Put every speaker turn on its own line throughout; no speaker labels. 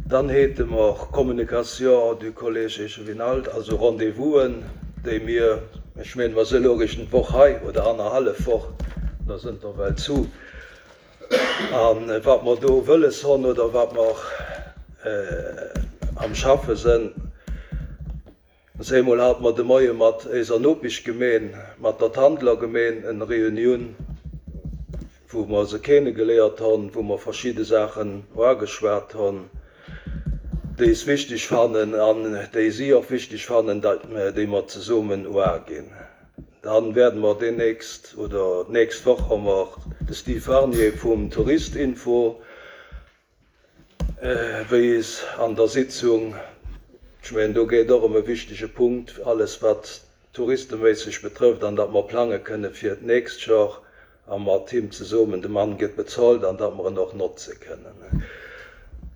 Dann hate mer Communication du Collège Échevinalt, also Rendez-vousen, déi mir, ech mengen, mer si elo eréischt d'Woch hei oder annerhallef Woch, da sënn der well zu, a wat mer do wëlles honn oder wat mer am Schaffe sënn. Eemol hate mer de Moie mat éiser Nopeschgemeen, mat der Tandler Gemeen, en Reunioun, wou mer se kenegeléiert honn, wou mer verschidde Saachen uageschwat honn, déi es wichteg fannen an déi si och wichteg fannen, déi mer zesummen uaginn. Dann werden mer deemnächst oder d'nächst Woch hu mer de Steve Warnier vum Touristinfo Wéi is an der Sitzung, ech mengen do geet och ëm e wichtege Punkt, alles wat touristeméisseg betrëfft, an datt mer plange kënne fir d'nächst Jor a mat him zesummen, de Mann gëtt bezolt, an datt mer en och notze kënnen.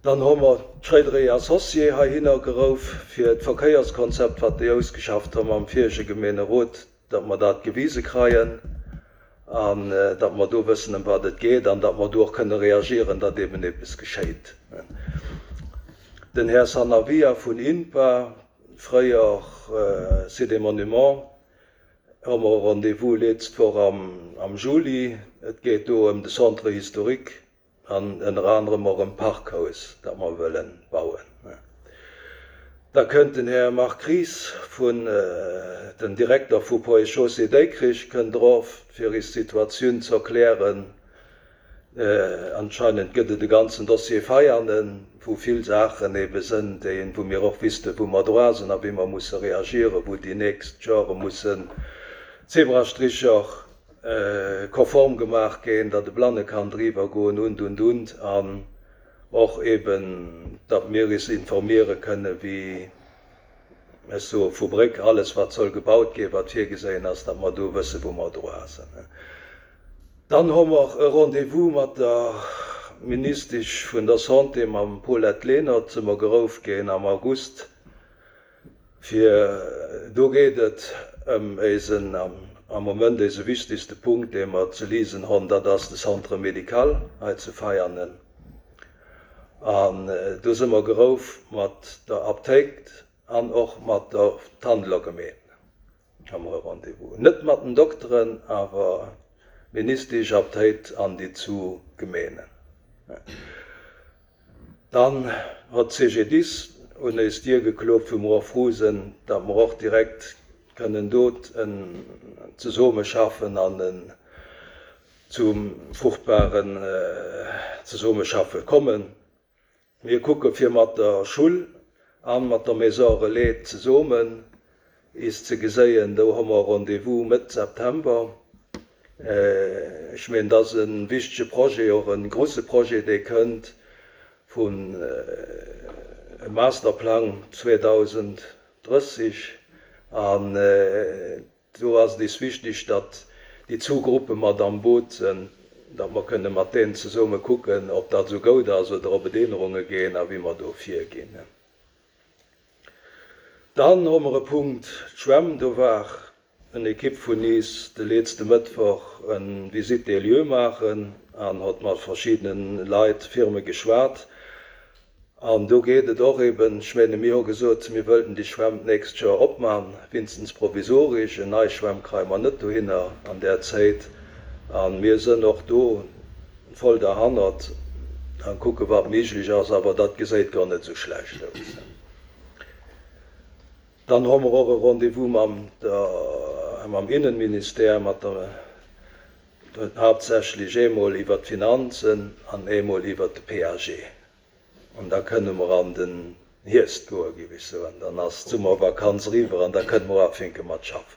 Dann hu mer d'Schréider et Associés heihinner gerouf fir d'Verkéierskonzept, wat déi ausgeschafft hu mam virege Gemeenerot, datt mer dat gewise kreien an datt mer do wëssen, ëm wat et geet an datt mer do och kënne reagieren, datt eben eppes geschéit. Den Här Sanavia vun INPA, fréier Sites et Monuments, hu mer e Rendez-vous letzt Woch am Juli. Et geet do ëm de Centre historique An ënner anerem och ëm d'Parkhaus, dat mer wëlle bauen. Da kënnt den Här Marc Ries vun, den Direkter vu Ponts et Chaussées Dikrich kënnt erof, fir is d'Situatioun ze erklären. Anscheinend gëtt et e ganzen Dossier Veianen, wou vill Saachen ebe sënn, déi, wou mir och wüssten, wou mer droa sinn a wéi mer musse reagieren, wou déi nächst Jore mussen Zebrastricher konform gemaach ginn, datt e Blanne kann driwwer goen und, und, und, an och eben, datt mir is informiere kënne wéi, ech soe vu Bréck, alles wat soll gebaut ginn, wat virgeséien ass, datt mer do wësse wou mer droa sinn. Dann hu mer e Rendez-vous mat der Ministesch vun der Santé, mam Paulette Lenert, si mer gerouf ginn am August, Fir do geet et ëm éisen, am Moment éise wichtigste Punkt, dee mer ze liesen honn, dat ass de Centre médical hei zu Veianen. An do si mer gerouf mat der Aptéikt an och mat der Tandeler Gemeen hu mer e Rendez-vous. Net mat den Dokteren, awer Ministesch, Aptéit an déi zu Gemeenen. Dann hott CGDIS un éis Dier gekloopt, wou mer och frou sen, datt mer och direkt kënnen do en Zesoomeschaffen an en zum fruchtbaren Zesoomeschaffen kommen. Mir kucke fir mat der Schull an mat der Maison Relais zesoomen is ze geséien. Do hu mer Rendez-vous Mëtt September. Ech mengen, dat ass e wichtege Projet, och e grouse Projet, dee kënnt vun e Masterplang 2030. An do ass et is wichteg, datt déi zwou Gruppe mat am Boot sinn, datt mer kënne mat deenen zesumme kucken, ob dat esou goud ass oder ob et Ännerunge ginn a wéi mer do virginn. Dann hu mer e Punkt, d'Schwämm. Do war en Ekipp vun is de letzte Mëttwoch en Visite des lieux maachen an hott mat verschiddenen Leit, Firme geschwat. An do geet et och eben, ech mene mir hu gesot, mir wëllten déi Schwämm d'nächst Joer opman, winstens provisorisch. En nei Schwämm kreie mer net dohinner an där Zéit. A mir sënn och do voll derhannert an kucke wat méiglech ass, awer dat geséit gar net esou schlecht aus. Dann hu mer och e Rendez-vous mam der, mam Innenministère, mat der, haaptsächlech eemol iwwert d'Finanzen an eemol iwwert de PAG. An da kënne mer an den Hierscht goen, géif ech soen. Dann ass d'Summervakanz eriwwer an da kënne mer ufänke mat schaffen.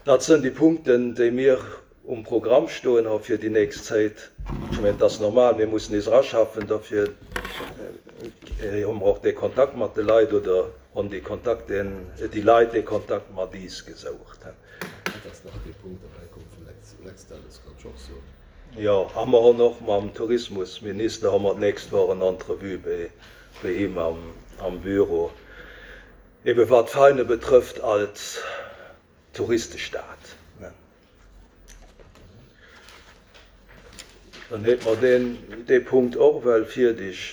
Dat sënn déi Punkten, déi mir um Programm stoen hu fir déi nächst Zéit. Ech mengen, et ass normal, mir mussen nees eraschaffen. Dofir hu mer och dee Kontakt mat de Leit oder hunn déi Kontakt, déi Leit dee Kontakt mat is gesoucht.
Et ass nach dee Punkt derbäikomm vum Lextel, dat kann ech och soen.
Jo, a mer hunn och mam Tourismusminister hu mer d'nächst Woch en Entrevue bei him am Büro, ebe wat Veine betrëfft als Touristestad. Dann hate mer deen, dee Punkt och well fierdeg.